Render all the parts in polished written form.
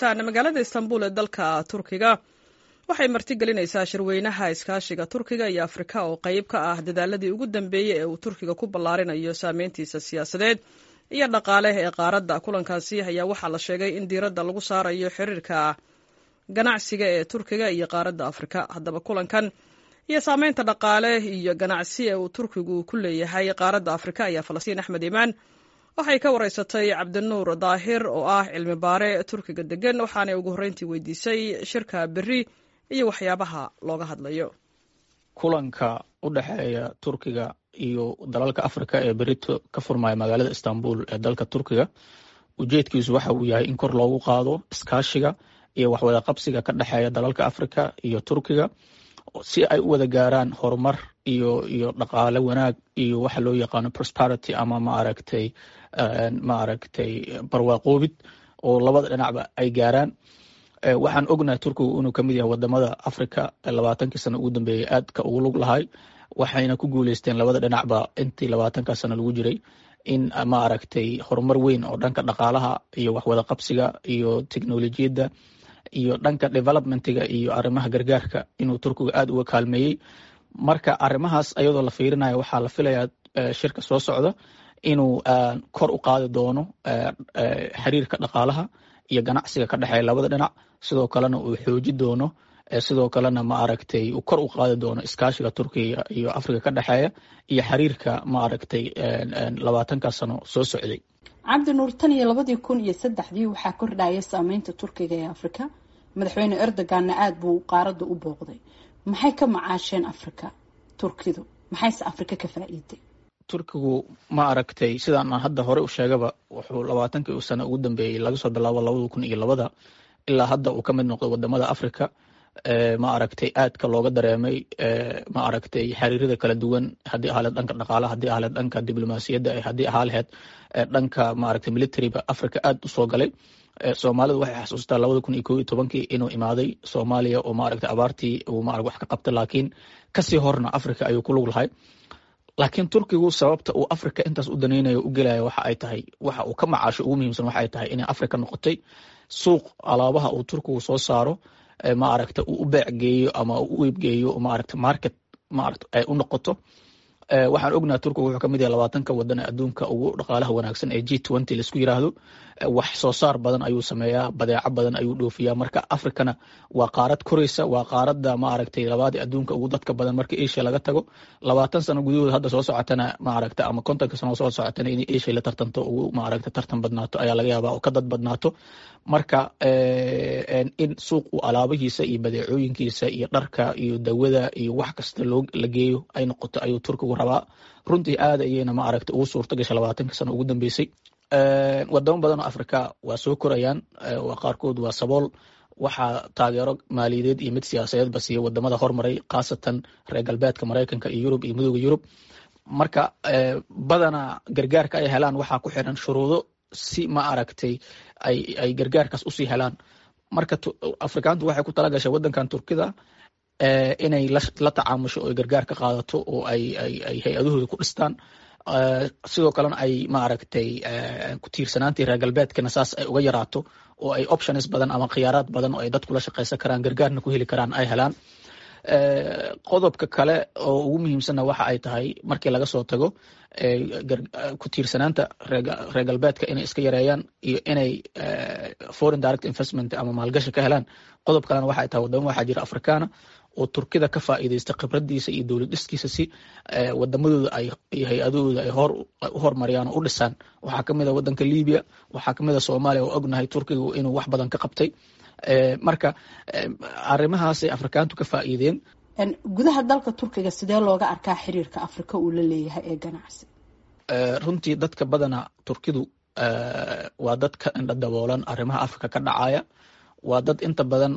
Magaalada Istanbul ee dalka Turkiga waxay martigelinaysaa shirweynaha iskaashiga Turkiga iyo Afrika oo qayb ka ah dadaaladii ugu dambeeyey ee uu Turkiga ku ballaarinayo saameyntiisa siyaasadeed iyo dhaqaale ee qaaradda. Kulankaasi ayaa waxaa la sheegay in diiradda lagu saarayo xiriirka ganacsiga ee Turkiga iyo qaaradda Afrika. Haddaba, kulankan iyo saameynta dhaqaale iyo ganacsi ee uu Turkigu ku leeyahay qaaradda Afrika ayaa Falastiin Axmed Iimaan waxay ka wareysatay Cabdinuur Daahir oo ah cilmi baare Turkiga degan, waxaanay ugu horreyntii weydiisay shirka berri iyo waxyaabaha looga hadlayo. Kulanka u dhexeeya Turkiga iyo dalalka Afrika ee berito ka furmaya magaalada Istanbul ee dalka Turkiga, ujeedkiisu waxa uu yahay in kor loogu qaado iskaashiga iyo waxwada qabsiga ka dhexeeya dalalka Afrika iyo Turkiga, si ay u wada gaaraan horumar iyo dhaqaale wanaag iyo waxa loo yaqaano prosperity ama maaragtay barwaaqoobid oo labada dhinacba ay gaaraan. Waxaan ognahay Turkigu inuu kamid yahay wadamada Africa 20kii sano ugu dambeeyey aadka ugu lug lahay, waxayna ku guuleysteen labada dhinacba intii 20ka sano lagu jiray in maaragtay horumar weyn oo dhanka dhaqaalaha iyo waxwada qabsiga iyo teknolojiyadda iyo dhanka developmentiga iyo arrimaha gargaarka inuu Turkigu aada uga kaalmeeyey. Marka arrimahaas ayadoo la fiirinayo, waxaa la filayaa shirka soo socda inuu kor u qaadi doono xiriirka dhaqaalaha iyo ganacsiga ka dhexeeya labada dhinac, sidoo kalena uu xooji doono, sidoo kalena maaragtay uu kor u qaadi doono iskaashiga Turkiga iyo Afrika ka dhexeeya iyo xiriirka maaragtay 20ka sano soo socday. Cabdi Nuur, tan iyo 2003dii waxaa kordhaya saameynta Turkiga ee Afrika. Madaxweyne Erdoganna aada buu qaaradda u booqday. Maxay ka macaasheen Afrika Turkidu? Maxayse Afrika ka faa'iiday? Turkigu, ma aragtay, sidaan aan hadda hore u sheegaba, wuxuu 20kii sano ugu dambeeyey, laga soo bilaabo 2002da ilaa hadda, uu ka mid noqday wadamada Africa ma aragtay aadka looga dareemay ma aragtay xiriirada kala duwan, haddii ahaa lehed dhanka dhaqaalaha, haddii ahaa lehed dhanka diblomaasiyadda, haddii ahaa laheyd dhanka maaragtay militaryba Africa aad u soo galay. Soomaalidu waxay xasuustaa 2011kii inuu imaaday Soomaaliya oo maaragtay abaartii uu maarag wax ka qabtay, laakiin kasii horna Africa ayuu ku lug lahay. Laakiin Turkigu sababta uu Africa intaas u danaynayo u gelayo waxa ay tahay, waxa uu ka macaasho ugu muhiimsan waxa ay tahay inay Africa noqotay suuq alaabaha uu Turkigu soo saaro ma aragta uu u beec geeyo ama uu u iibgeeyo, maaragta market maaragta ay u noqoto. Waxaan ognaha Turkigu wuxuu kamid yahay 20ka wadan ee adduunka ugu dhaqaalaha wanaagsan ee G20 laisku yiraahdo. Wax soo saar badan ayuu sameeyaa, badeeco badan ayuu dhoofiyaa. Marka Africana waa qaarad koreysa, waa qaaradda ma aragtay labaad ee adduunka ugu dadka badan marka Asia laga tago. 20 sano gudahood hadda soo socotana, ma aragta, ama 50ka sano soo socotana, inay Asia la tartanto, ugu maaragta tartan badnaato ayaa laga yaabaa oo ka dad badnaato. Marka in suuq uu alaabihiisa iyo badeecooyinkiisa iyo dharka iyo dawada iyo wax kasta loo la geeyo ay noqoto ayuu Turkigu rabaa. Runtii aad ayayna ma aragta ugu suurta gasha 20ka sano ugu dambeysay. Wadamo badan oo Afrika waa soo korayaan, waa qaarkood waa sabool. Waxaa taageero maaliyadeed iyo mid siyaasadeedba siiya wadamada hormaray, khaasatan reer galbeedka, Maraykanka iyo Yurub iyo Midooda Yurub. Marka badanaa gargaarka ay helaan waxaa ku xiran shuruudo si ma aragtay ay gargaarkaas usii helaan. Marka Afrikaantu waxay ku tala gashay wadankan Turkida inay la tacaamusho oo gargaar ka qaadato oo ay hay-adahooda ku dhistaan, sidoo kalena ay maaragtay ku tiirsanaantii reer galbeedkana saas ay uga yaraato oo ay options badan ama khiyaaraad badan oo ay dadku la shaqaysan karaan, gargaarna ku heli karaan ay helaan. Qodobka kale oo ugu muhiimsanna waxa ay tahay, markii laga soo tago ku tiirsanaanta reer galbeedka inay iska yareeyaan iyo inay foreign direct investment ama maalgashi ka helaan, qodob kalena waxa ay tahay wadamo waxaa jira Afrikaana oo Turkida ka faa'iidaysta khibradiisa iyo dowlad dhiskiisa si wadamadooda ay iyo hay-adahooda ay hor u hormariyaan oo u dhisaan. Waxaa kamid a wadanka Libya, waxaa kamid a Soomaaliya oo ognahay Turkigu inuu wax badan ka qabtay. Marka arrimahaasay Afrikaantu ka faa'iideen. Gudaha dalka Turkiga sidee looga arkaa xiriirka Afrika uu la leeyahay ee ganacsi? Runtii dadka badana Turkidu waa dad ka indha daboolan arrimaha Afrika ka dhacaya. Waa dad inta badan,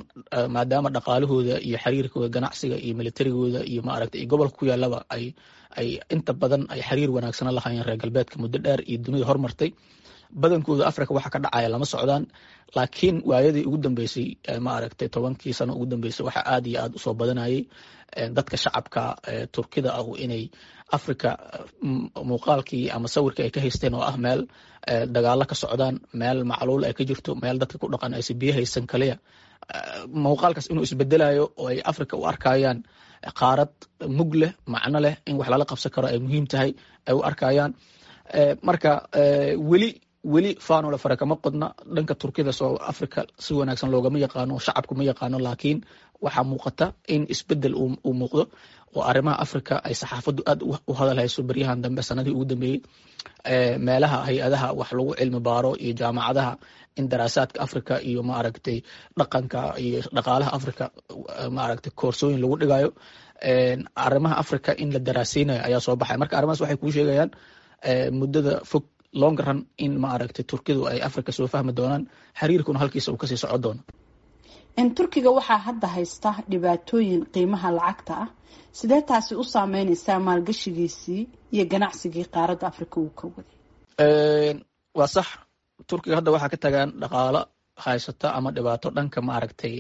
maadaama dhaqaalahooda iyo xiriirkooda ganacsiga iyo militarigooda iyo maaragtay iyo gobolka ku yaalaba ay inta badan ay xiriir wanaagsana lahaayeen reer galbeedka muddo dheer iyo dunida hormartay. Badankooda Africa waxa ka dhacaya lama socdaan, laakiin waayadii ugu dambeysay, ma aragtay, 10kii sano ugu dambeysay, waxa aad iyo aad usoo badanayay dadka shacabka Turkida ah inay Africa muuqaalkii ama sawirkii ay ka haysteen oo ah meel dagaalo ka socdaan, meel macluul ay ka jirto, meel dadka ku dhaqan aysan biyo haysan kaliya, muuqaalkaas inuu isbedelayo oo ay Africa u arkayaan qaarad mug leh, macno leh, in wax lala qabsan karo ay muhiim tahay ay u arkayaan. Marka weli weli faanola fara kama qodna dhanka Turkida. Soo Africa si wanaagsan loogama yaqaano, shacabku ma yaqaano, laakiin waxaa muuqata in isbedel uu muuqdo oo arrimaha Africa ay saxaafaddu aad u hadal hayso beryahan dambe, sanadihii ugu dambeeyey, meelaha hay-adaha wax lagu cilmi baaro iyo jaamacadaha in daraasaadka Africa iyo, ma aragtay, dhaqanka iyo dhaqaalaha Africa, ma aragtay, koorsooyin lagu dhigayo, arrimaha Africa in la daraaseynayo ayaa soo baxay. Marka arrimahaas waxay kuu sheegayaan muddada fog, long run, in, ma aragtay, Turkidu ay Africa soo fahmi doonaan, xiriirkuna halkiisa uu kasii socon doono. Turkiga waxaa hadda haysta dhibaatooyin qiimaha lacagta ah. Sidee taasi u saameyneysaa maalgashigiisii iyo ganacsigii qaaradda Africa uu ka waday? Waa sax, Turkiga hadda waxaa ka tagaan dhaqaalo haysata ama dhibaato dhanka, ma aragtay,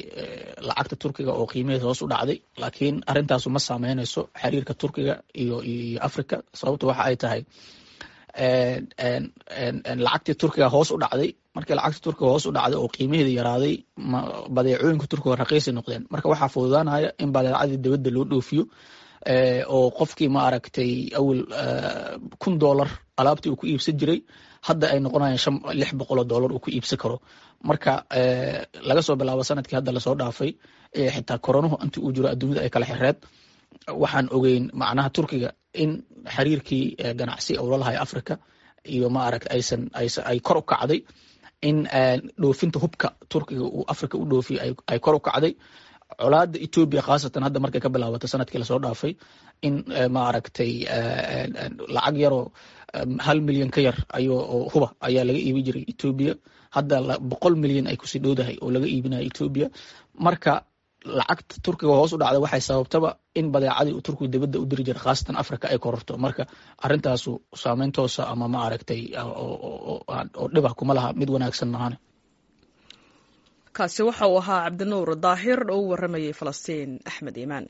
lacagta Turkiga oo qiimaheeda hoos u dhacday, laakiin arrintaasu ma saameyneyso xiriirka Turkiga iyo Africa. Sababta waxa ay tahay, lacagtii Turkiga hoos u dhacday. Markii lacagta Turkiga hoos u dhacday oo qiimaheeda yaraaday, badeecooyinka Turkiga raqiisay noqdeen. Marka waxaa fududaanaya in badeecadii dibadda loo dhoofiyo oo qofkii, ma aragtay, awel $1000 alaabtii uu ku iibsan jiray hadda ay noqonayaan $600 uu ku iibsan karo. Marka laga soo bilaabo sanadkii hadda lasoo dhaafay, xitaa koronuhu intii uu jiro adduunyada ay kala xireed, waxaan ogeyn macnaha Turkiga in xiriirkii ganacsi uu la lahay Africa iyo, ma aragta, aysan ay kor u kacday, in dhoofinta hubka Turkiga uu Africa u dhoofiyo ay kor u kacday, colaada Etoobiya khaasatan hadda markay ka bilaabatay sanadkii lasoo dhaafay in, ma aragtay, lacag yaroo 1 milyan ka yar ayuu huba ayaa laga iibi jiray Etoobiya, hadda 100 milyan ay kusii dhowdahay oo laga iibinayo Etoobiya. Marka lacagta Turkiga hoos u dhacday waxay sababtaba in badeecadii uu Turkigu dibadda u diri jiray, khaasatan Africa, ay kororto. Marka arrintaasu saameyn toosa ama, ma aragtay, oo dhibah kuma laha, mid wanaagsan mahane. Kaasi waxa uu ahaa Cabdinuur Daahir oo u waramayay Falastiin Axmed Iimaan.